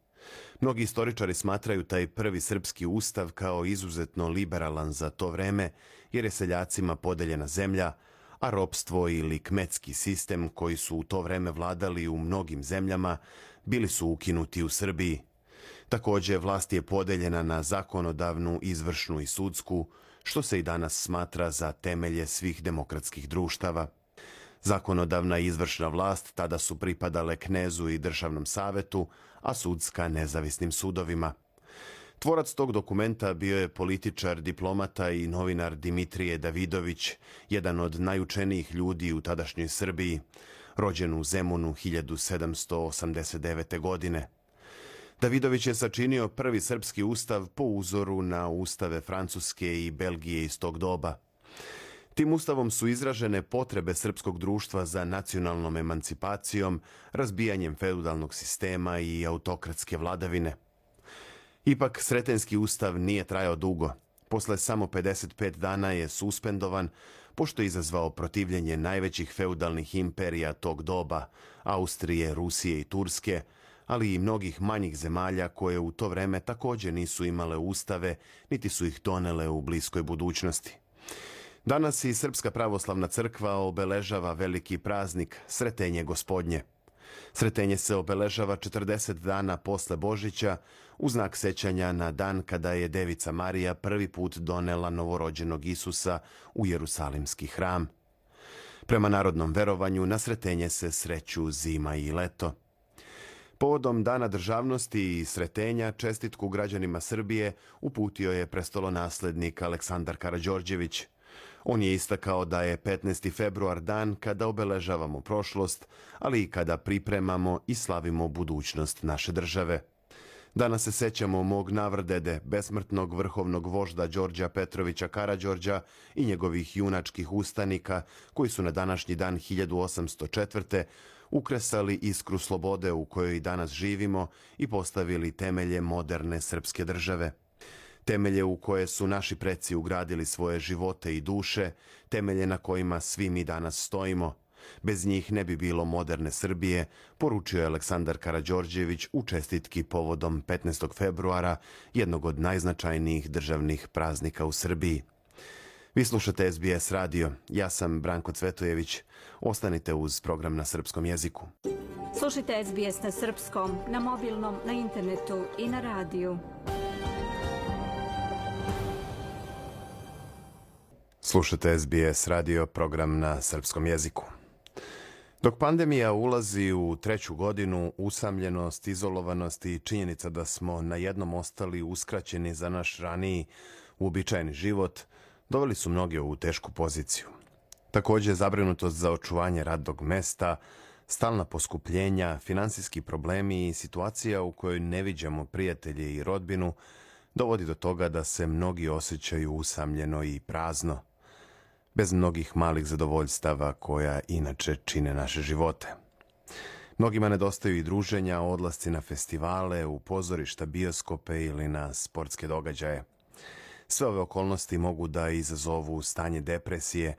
Mnogi istoričari smatraju taj prvi srpski ustav kao izuzetno liberalan za to vreme, jer je seljacima podeljena zemlja, a ropstvo ili kmetski sistem koji su u to vreme vladali u mnogim zemljama bili su ukinuti u Srbiji. Također, vlast je podeljena na zakonodavnu, izvršnu i sudsku, što se i danas smatra za temelje svih demokratskih društava. Zakonodavna i izvršna vlast tada su pripadale knezu i državnom savetu, a sudska nezavisnim sudovima. Tvorac tog dokumenta bio je političar, diplomata i novinar Dimitrije Davidović, jedan od najučenijih ljudi u tadašnjoj Srbiji, rođen u Zemunu 1789. godine. Davidović je sačinio prvi srpski ustav po uzoru na ustave Francuske i Belgije iz tog doba. Tim ustavom su izražene potrebe srpskog društva za nacionalnom emancipacijom, razbijanjem feudalnog sistema i autokratske vladavine. Ipak, Sretenjski ustav nije trajao dugo. Posle samo 55 dana je suspendovan, pošto je izazvao protivljenje najvećih feudalnih imperija tog doba, Austrije, Rusije i Turske, ali i mnogih manjih zemalja koje u to vreme također nisu imale ustave, niti su ih donele u bliskoj budućnosti. Danas i Srpska pravoslavna crkva obeležava veliki praznik Sretenje Gospodnje. Sretenje se obeležava 40 dana posle Božića u znak sećanja na dan kada je Devica Marija prvi put donela novorođenog Isusa u Jerusalimski hram. Prema narodnom verovanju na Sretenje se sreću zima i leto. Povodom Dana državnosti i Sretenja čestitku građanima Srbije uputio je prestolonaslednik Aleksandar Karađorđević. On je istakao da je 15. februar dan kada obeležavamo prošlost, ali i kada pripremamo i slavimo budućnost naše države. Danas se sećamo mog navrdede, besmrtnog vrhovnog vožda Đorđa Petrovića Karađorđa i njegovih junačkih ustanika koji su na današnji dan 1804. ukresali iskru slobode u kojoj danas živimo i postavili temelje moderne srpske države. Temelje u koje su naši preci ugradili svoje živote i duše, temelje na kojima svi mi danas stojimo. Bez njih ne bi bilo moderne Srbije, poručio je Aleksandar Karađorđević u čestitki povodom 15. februara, jednog od najznačajnijih državnih praznika u Srbiji. Vi slušate SBS radio. Ja sam Branko Cvetojević. Ostanite uz program na srpskom jeziku. Slušajte SBS na srpskom, na mobilnom, na internetu i na radiju. Slušate SBS radio, program na srpskom jeziku. Dok pandemija ulazi u treću godinu, usamljenost, izolovanost i činjenica da smo na jednom ostali uskraćeni za naš raniji uobičajeni život, doveli su mnoge u tešku poziciju. Također, zabrinutost za očuvanje radnog mesta, stalna poskupljenja, finansijski problemi i situacija u kojoj ne viđamo prijatelje i rodbinu dovodi do toga da se mnogi osjećaju usamljeno i prazno, bez mnogih malih zadovoljstava koja inače čine naše živote. Mnogima nedostaju i druženja, odlasci na festivale, u pozorišta, bioskope ili na sportske događaje. Sve ove okolnosti mogu da izazovu stanje depresije,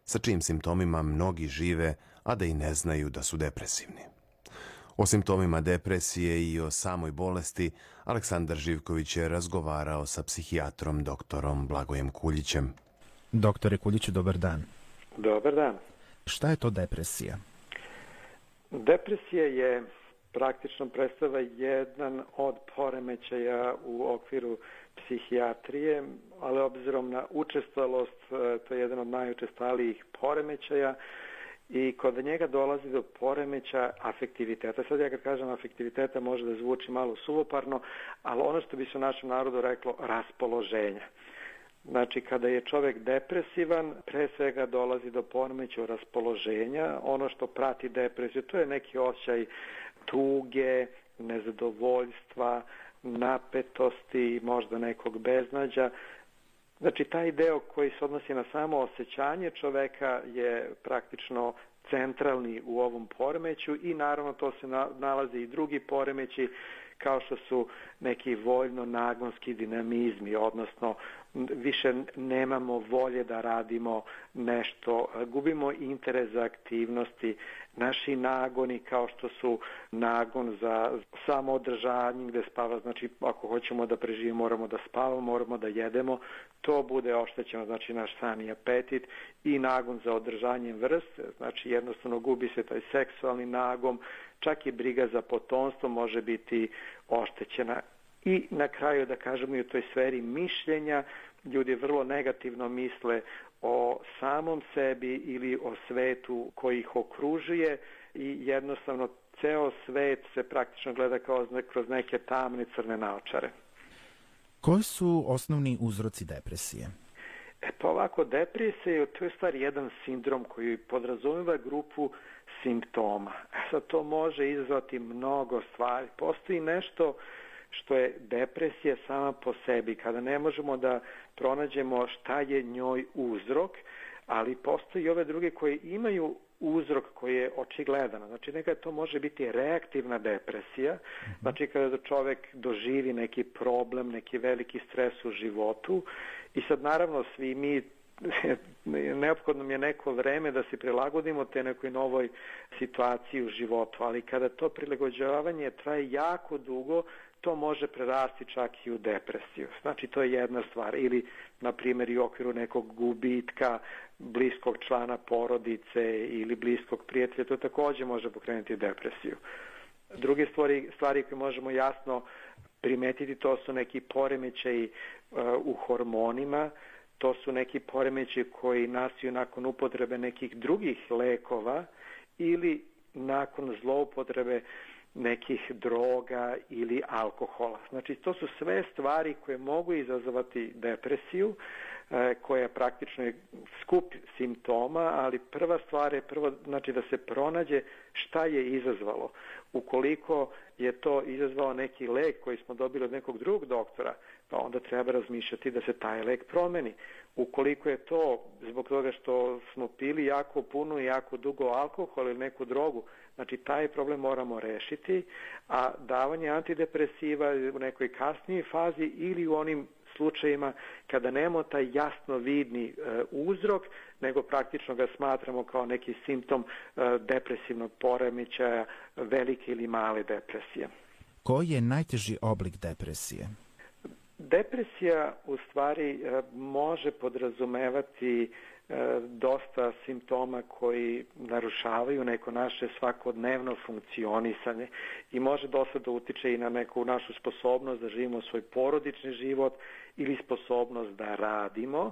sa čijim simptomima mnogi žive, a da i ne znaju da su depresivni. O simptomima depresije i o samoj bolesti Aleksandar Živković je razgovarao sa psihijatrom doktorom Blagojem Kuljićem. Doktore Kuljiću, dobar dan. Dobar dan. Šta je to depresija? Depresija je praktično predstava jedan od poremećaja u okviru psihijatrije, ali obzirom na učestalost, to je jedan od najučestalijih poremećaja i kod njega dolazi do poremeća afektiviteta. Sad ja kad kažem afektiviteta može da zvuči malo suvoparno, ali ono što bi se u našem narodu reklo raspoloženja. Znači, kada je čovjek depresivan, pre svega dolazi do poremećaja raspoloženja. Ono što prati depresiju, to je neki osjećaj tuge, nezadovoljstva, napetosti, možda nekog beznađa. Znači, taj deo koji se odnosi na samo osjećanje čoveka je praktično centralni u ovom poremeću i naravno to se nalazi i drugi poremeći kao što su neki voljno-nagonski dinamizmi, odnosno više nemamo volje da radimo nešto, gubimo interes za aktivnosti, naši nagoni kao što su nagon za samoodržanje gde spava, znači ako hoćemo da preživimo moramo da spavamo, moramo da jedemo, to bude oštećeno, znači naš sami apetit i nagon za održanjem vrste, znači jednostavno gubi se taj seksualni nagon, čak i briga za potomstvo može biti oštećena. I na kraju da kažemo i u toj sferi mišljenja, ljudi vrlo negativno misle o samom sebi ili o svetu koji ih okružuje i jednostavno ceo svet se praktično gleda kao kroz neke tamne crne naočare. Koji su osnovni uzroci depresije? Pa ovako, depresija to je stvar jedan sindrom koji podrazumeva grupu simptoma. Sad to može izazvati mnogo stvari. Postoji nešto što je depresija sama po sebi, kada ne možemo da pronađemo šta je njoj uzrok, ali postoji i ove druge koje imaju uzrok koji je očigledan. Znači nekada to može biti reaktivna depresija, znači kada čovjek doživi neki problem, neki veliki stres u životu i sad naravno svi mi neophodno mi je neko vreme da se prilagodimo te nekoj novoj situaciji u životu, ali kada to prilagođavanje traje jako dugo, to može prerasti čak i u depresiju. Znači, to je jedna stvar. Ili, na primjer, i u okviru nekog gubitka bliskog člana porodice ili bliskog prijatelja, to također može pokrenuti depresiju. Druge stvari koje možemo jasno primetiti, to su neki poremećaji u hormonima, to su neki poremećaji koji nastaju nakon upotrebe nekih drugih lekova ili nakon zloupotrebe nekih droga ili alkohola. Znači, to su sve stvari koje mogu izazvati depresiju, koja praktično je skup simptoma, ali prva stvar je znači da se pronađe šta je izazvalo. Ukoliko je to izazvao neki lek koji smo dobili od nekog drugog doktora, pa onda treba razmišljati da se taj lek promeni. Ukoliko je to zbog toga što smo pili jako puno i jako dugo alkohol ili neku drogu, znači taj problem moramo rešiti, a davanje antidepresiva u nekoj kasnijoj fazi ili u onim slučajima kada nemamo taj jasno vidni uzrok, nego praktično ga smatramo kao neki simptom depresivnog poremećaja, velike ili male depresije. Koji je najteži oblik depresije? Depresija u stvari može podrazumevati dosta simptoma koji narušavaju neko naše svakodnevno funkcionisanje i može dosta da utiče i na neku našu sposobnost da živimo svoj porodični život ili sposobnost da radimo.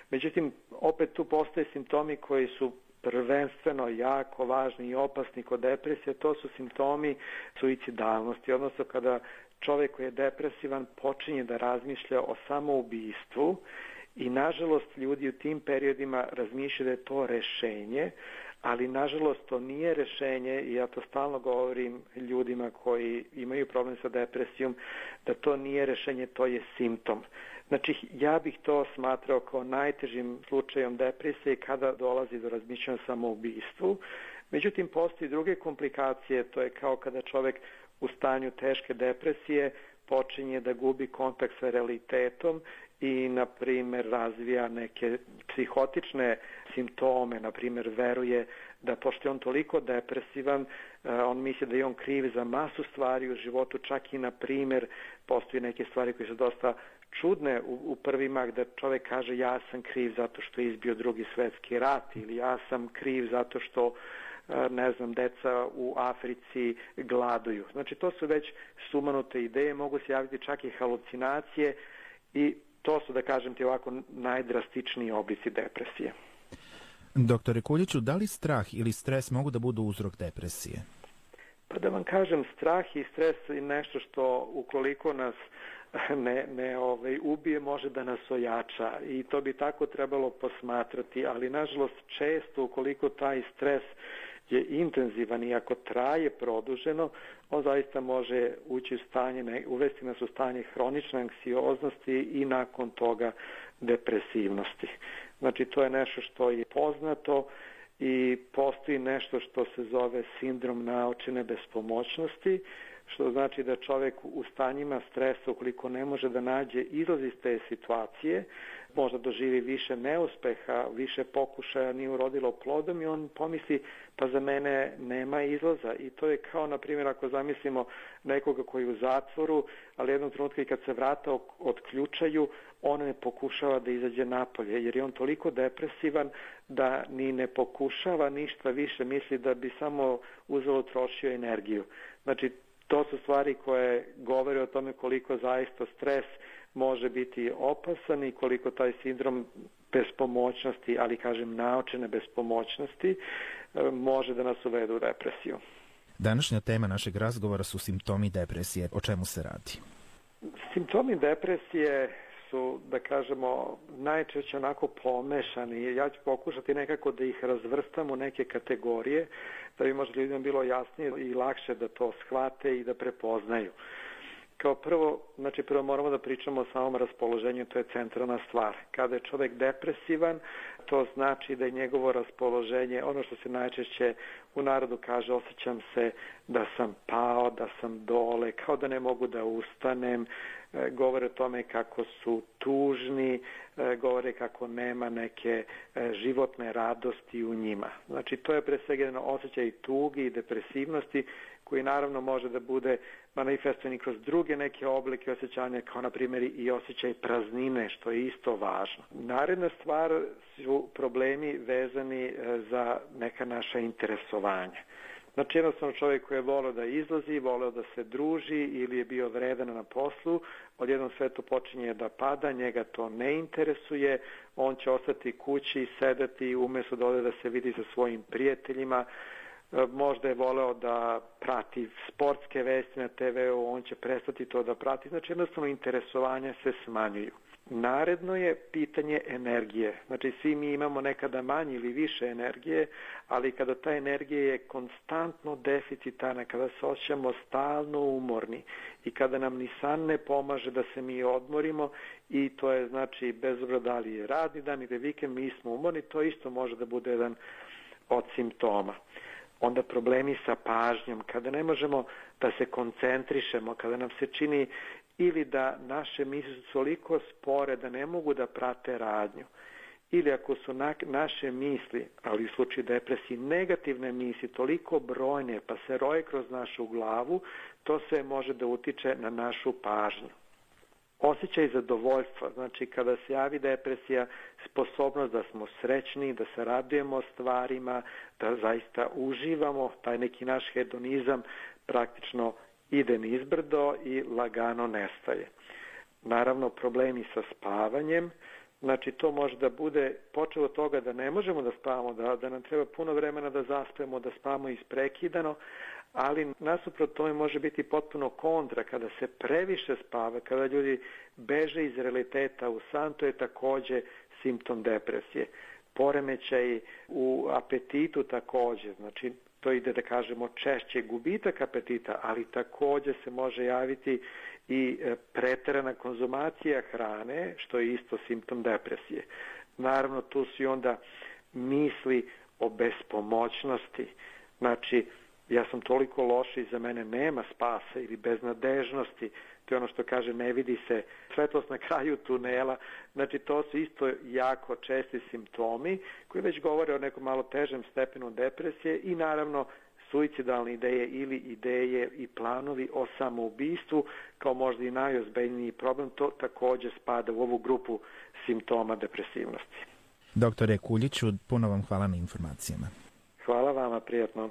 Međutim, opet tu postoje simptomi koji su prvenstveno jako važni i opasni kod depresije, to su simptomi suicidalnosti, odnosno kada čovjek koji je depresivan počinje da razmišlja o samoubistvu i nažalost ljudi u tim periodima razmišljaju da je to rešenje, ali nažalost to nije rešenje i ja to stalno govorim ljudima koji imaju problem sa depresijom, da to nije rešenje, to je simptom. Znači, ja bih to smatrao kao najtežim slučajem depresije kada dolazi do razmišljanja o samoubistvu. Međutim, postoji druge komplikacije, to je kao kada čovjek u stanju teške depresije počinje da gubi kontakt sa realitetom i, na primjer, razvija neke psihotične simptome, na primjer, veruje da pošto je on toliko depresivan, on misli da je on kriv za masu stvari u životu, čak i, na primjer, postoji neke stvari koje su dosta čudne u prvi mah, da čovjek kaže ja sam kriv zato što je izbio Drugi svjetski rat ili ja sam kriv zato što ne znam, deca u Africi gladuju. Znači, to su već sumanute ideje, mogu se javiti čak i halucinacije i to su, da kažem ti ovako, najdrastičniji oblici depresije. Doktore Kuljiću, da li strah ili stres mogu da budu uzrok depresije? Pa da vam kažem, strah i stres je nešto što ukoliko nas ne ubije, može da nas ojača i to bi tako trebalo posmatrati, ali nažalost često ukoliko taj stres je intenzivan i ako traje produženo, on zaista može ući u stanje, uvesti nas u stanje hronične anksioznosti i nakon toga depresivnosti. Znači to je nešto što je poznato i postoji nešto što se zove sindrom naočene bespomoćnosti, što znači da čovjek u stanjima stresa, ukoliko ne može da nađe izlaz iz te situacije, možda doživi više neuspeha, više pokušaja, nije urodilo plodom i on pomisli pa za mene nema izlaza. I to je kao, na primjer, ako zamislimo nekoga koji je u zatvoru, ali jednog trenutka i kad se vrata otključaju, on ne pokušava da izađe napolje, jer je on toliko depresivan da ni ne pokušava ništa više, misli da bi samo uzelo trošio energiju. Znači, to su stvari koje govore o tome koliko zaista stres može biti opasan i koliko taj sindrom bespomoćnosti, ali kažem naočene bespomoćnosti, može da nas uvede u depresiju. Današnja tema našeg razgovora su simptomi depresije. O čemu se radi? Simptomi depresije su, da kažemo, najčešće onako pomešani. Ja ću pokušati nekako da ih razvrstam u neke kategorije, da bi možda ljudima bilo jasnije i lakše da to shvate i da prepoznaju. Kao prvo, znači prvo moramo da pričamo o samom raspoloženju, to je centralna stvar. Kada je čovjek depresivan, to znači da je njegovo raspoloženje, ono što se najčešće u narodu kaže, osjećam se da sam pao, da sam dole, kao da ne mogu da ustanem, govore o tome kako su tužni, govore kako nema neke životne radosti u njima. Znači to je pre svega jedan osjećaj tugi i depresivnosti koji naravno može da bude manifestovan i kroz druge neke oblike osjećanja, kao na primjer i osjećaj praznine, što je isto važno. Naredna stvar su problemi vezani za neka naša interesovanja. Znači jednostavno čovjek koji je voleo da izlazi, voleo da se druži ili je bio vredan na poslu, odjednom sve to počinje da pada, njega to ne interesuje, on će ostati kući, sedeti umjesto da ode da se vidi sa svojim prijateljima, možda je voleo da prati sportske vesti na TV-u, on će prestati to da prati, znači jednostavno interesovanja se smanjuju. Naredno je pitanje energije. Znači svi mi imamo nekada manje ili više energije, ali kada ta energija je konstantno deficitarna, kada se osjećamo stalno umorni i kada nam ni san ne pomaže da se mi odmorimo i to je znači bez obzira da li je radni dan ili vikend, mi smo umorni, to isto može da bude jedan od simptoma. Onda problemi sa pažnjom, kada ne možemo da se koncentrišemo, kada nam se čini ili da naše misli su toliko spore da ne mogu da prate radnju, ili ako su naše misli, ali u slučaju depresije, negativne misli toliko brojne pa se roje kroz našu glavu, to sve može da utiče na našu pažnju. Osjećaj zadovoljstva, znači kada se javi depresija, sposobnost da smo srećni, da se radujemo stvarima, da zaista uživamo, taj neki naš hedonizam praktično ide nizbrdo i lagano nestaje. Naravno, problemi sa spavanjem, znači to može da bude počelo od toga da ne možemo da spavamo, da nam treba puno vremena da zaspemo, da spavamo isprekidano, ali nasuprot tome može biti potpuno kontra kada se previše spava, kada ljudi beže iz realiteta u san, to je također simptom depresije. Poremećaj u apetitu također, znači to ide da kažemo češće gubitak apetita, ali također se može javiti i preterana konzumacija hrane, što je isto simptom depresije. Naravno, tu su i onda misli o bespomoćnosti, znači ja sam toliko loš i za mene nema spasa ili beznadežnosti, to je ono što kaže ne vidi se svetlost na kraju tunela, znači to su isto jako česti simptomi koji već govore o nekom malo težem stepenu depresije i naravno suicidalne ideje ili ideje i planovi o samoubistvu kao možda i najozbiljniji problem, to također spada u ovu grupu simptoma depresivnosti. Doktore Kuljiću, puno vam hvala na informacijama. Hvala vama, prijatno.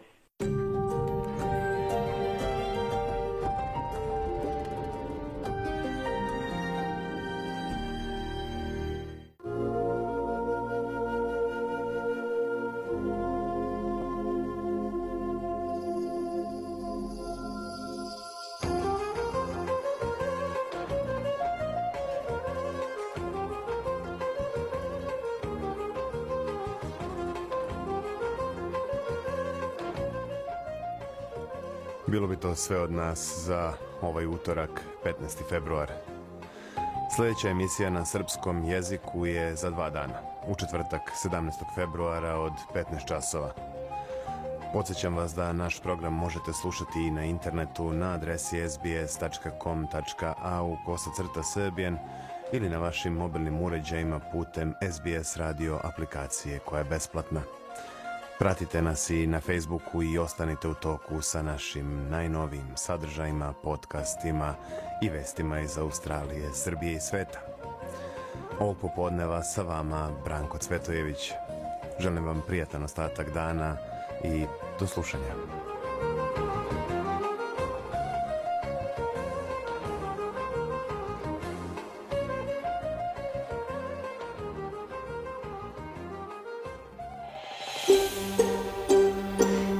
Bilo bi to sve od nas za ovaj utorak, 15. februar. Sljedeća emisija na srpskom jeziku je za 2 dana, u četvrtak 17. februara od 15 časova. Podsjećam vas da naš program možete slušati i na internetu na adresi sbs.com.au/Serbian ili na vašim mobilnim uređajima putem SBS radio aplikacije koja je besplatna. Pratite nas i na Facebooku i ostanite u toku sa našim najnovijim sadržajima, podcastima i vestima iz Australije, Srbije i sveta. Ovog popodneva sa vama Branko Cvetojević. Želim vam prijatan ostatak dana i do slušanja.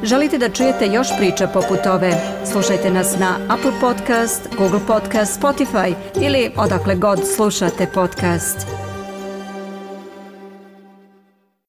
Želite da čujete još priča poput ove? Slušajte nas na Apple Podcast, Google Podcast, Spotify ili odakle god slušate podcast.